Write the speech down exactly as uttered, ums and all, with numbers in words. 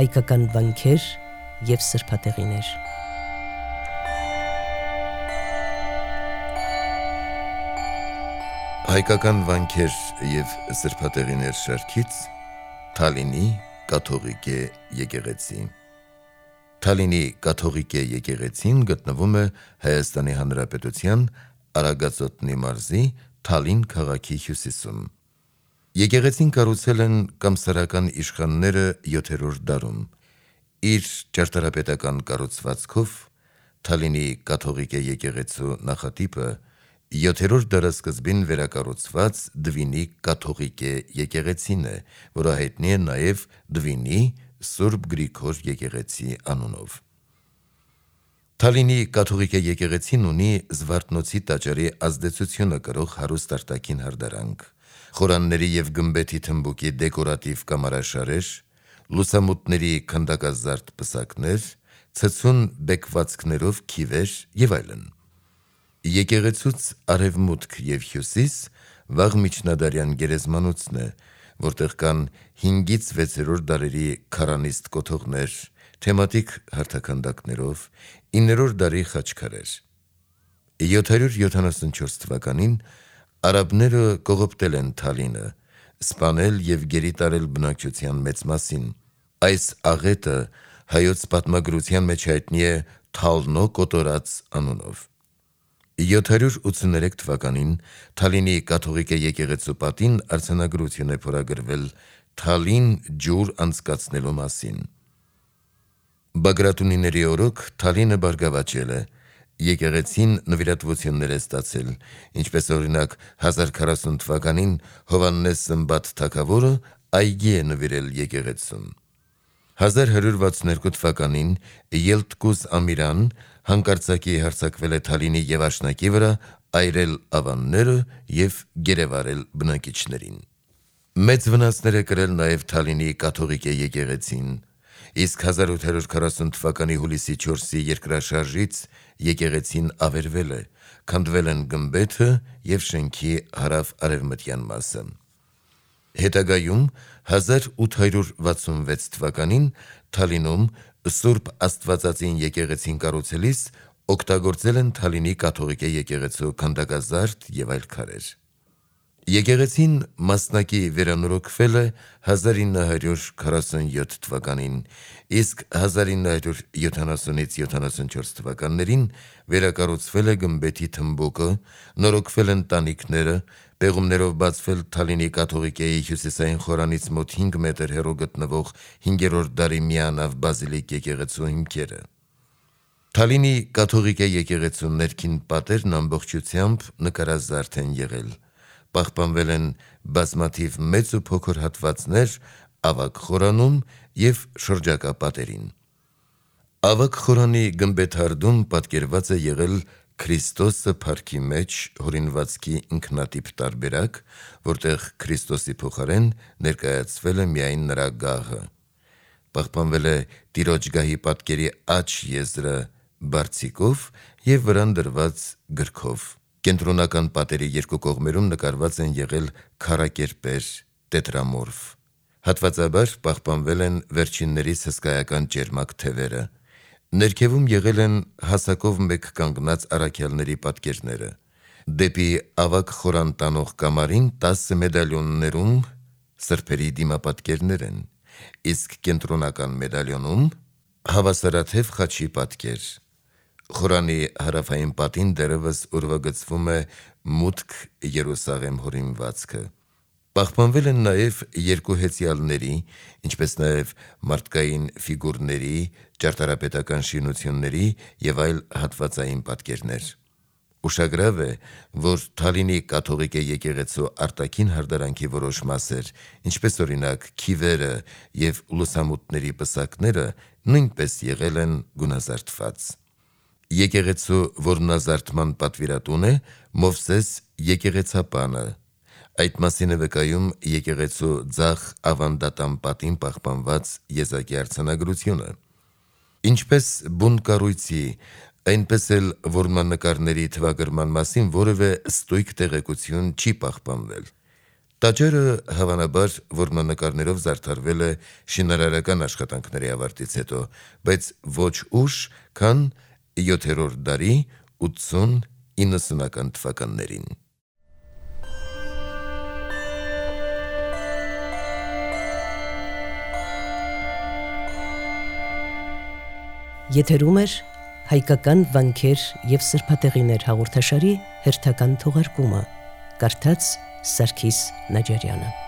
հայկական վանքեր և սրբատեղիներ։ Հայկական վանքեր և սրբատեղիներ շարքից Թալինի կաթողիկե եկեղեցի։ Թալինի կաթողիկե եկեղեցին գտնվում է Հայաստանի Հանրապետության Արագածոտնի մարզի Թալին քաղաքի հյուսիսում։ Եկեղեցին կառուցել են կամսարական իշխանները յոթերորդ դարում։ Իր ճարտարապետական կառուցվածքով Թալինի կաթողիկե եկեղեցու նախատիպը յոթերորդ դարասկզբին վերակառուցված Դվինի կաթողիկե եկեղեցին է, որը հայտնի է նաև Դվինի Սուրբ Գրիգոր եկեղեցի անունով։ Թալինի կաթողիկե եկեղեցին ունի Զվարթնոցի տաճարի ազդեցությունը կրող հարուստ արտաքին հարդարանք, խորանների և գմբեթի թմբուկի դեկորատիվ կամարաշարեր, լուսամուտների քանդակազարդ պսակներ, ցցուն բեկվածքներով քիվեր և այլն։ Եկեղեցուց արևմուտք և հյուսիս վաղ միջնադարյան գերեզմանոցն է, որտեղ կան հինգից վեցերորդ դարերի քարանիստ կոթողներ, թեմատիկ հարթաքանդակներով, իններորդ դարի խաչքարեր։ յոթ հարյուր յոթանասունչորս թվականին արաբները կողոպտել են Թալինը, սպանել և գերի տարել բնակչության մեծ մասին։ Այս աղետը հայոց պատմագրության մեջ հայտնի է Թալնո կոտորած անունով։ յոթ հարյուր ութսուներեք թվականին Թալինի կաթողիկե եկեղեցու պատին արձանագրություն է փորագրվել Թալին ջուր անցկացնելու մասին։ Բագրատունիների օրոք Թալինը բարգավաճել է, եկեղեցին նվիրատվություններ է ստացել, ինչպես օրինակ հազար քառասուն թվականին Հովհաննես Սմբատ թագավորը այգի է նվիրել եկեղեցուն։ հազար հարյուր վաթսունհինգ թվականին Ելտկուզ Ամիրան հանկարծակի հարձակվել է Թալինի և Աշնակի վրա, այրել ավանները և գերեվարել բնակիչներին։ Մեծ վնասներ է կրել նաև Թալինի կաթողիկե եկեղեցին, իսկ հազար ութ հարյուր քառասուն թվականի հուլիսի չորսի երկրաշարժից եկեղեցին ավերվել է, քանդվել են գմբեթը և շենքի հարավ-արևմտյան մասը։ Հետագայում հազար ութ հարյուր վաթսունվեց թվականին Թալինում Սուրբ Աստվածածին եկեղեցին կառուցելիս օգտագործել են Թալինի կաթողիկե եկեղեցու քանդակազարդ և այլ քարեր։ Եկեղեցին մասնակի վերանորոգվել է հազար ինը հարյուր քառասունյոթ թվականին, իսկ հազար ինը հարյուր յոթանասունից յոթանասունչորս թվականներին վերակառուցվել է գմբեթի թմբուկը, նորոգվել են տանիքները, պեղումներով բացվել Թալինի կաթողիկեի հյուսիսային խորանից մոտ հինգ մետր հեռու գտնվող հինգերորդ դարի միանավ բազիլիկ եկեղեցու հիմքերը։ Թալինի կաթողիկե եկեղեցու ներքին պատերն ամբողջությամբ նկարազարդ են եղել, պահպանվել են բազմաթիվ մեծ ու փոքր հատվածներ ավագ խորանում և շրջակա պատերին։ Ավագ խորանի գմբեթարդում պատկերված է եղել Քրիստոսը փառքի մեջ հորինվածքի ինքնատիպ տարբերակ, որտեղ Քրիստոսի փոխարեն ներկայացվել է միայն նրա գահը։ Պահպանվել է Տիրոջ գահի պատկերի աջ եզրը բարձիկով և վրան դրված գրքով։ Կենտրոնական պատերի երկու կողմերում նկարված են եղել քառակերպեր, տետրամորֆ։ Հատվածաբար պահպանվել են վերջիններիս հսկայական ճերմակ թևերը։ Ներքևում եղել են հասակով մեկ կանգնած առաքյալների պատկերները։ Դեպի ավագ խորան տանող կամարին տասը մեդալյոններում սրբերի դիմապատկերներ են, իսկ կենտրոնական մեդալյոնում հավասարաթև խաչի պատկեր։ Խորանի հարավային պատին դեռևս ուրվագծվում է մուտք Երուսաղեմ հորինվածքը։ Պահպանվել են նաև երկու հեծյալների, ինչպես նաև մարդկային ֆիգուրների, ճարտարապետական շինությունների և այլ հատվածային պատկերներ։ Ուշագրավ է, որ Թալինի կաթողիկե եկեղեցու արտաքին հարդարանքի որոշ մասեր, ինչպես օրինակ քիվերը և լուսամուտների պսակները, նույնպես եղել են գունազարդված։ Եկեղեցու որոնազարդման պատվիրատուն է Մովսես եկեղեցապանը։ Այդ մասին է վկայում եկեղեցու ձախ ավանդատան պատին պահպանված եզակի արձանագրությունը։ Ինչպես բուն կառույցի, այնպես էլ որմնանկարների թվագրման մասին որևէ ստույգ տեղեկություն չի պահպանվել։ Տաճարը հավանաբար որմնանկարներով զարդարվել է շինարարական աշխատանքների ավարտից հետո, բայց ոչ ուշ, քան յոթերորդ դարի ութսուն-իննսունական թվականներին։ Եթերում էր հայկական վանքեր և սրբատեղիներ հաղորդաշարի հերթական թողարկումը, կարդաց Սարգիս Նաջարյանը։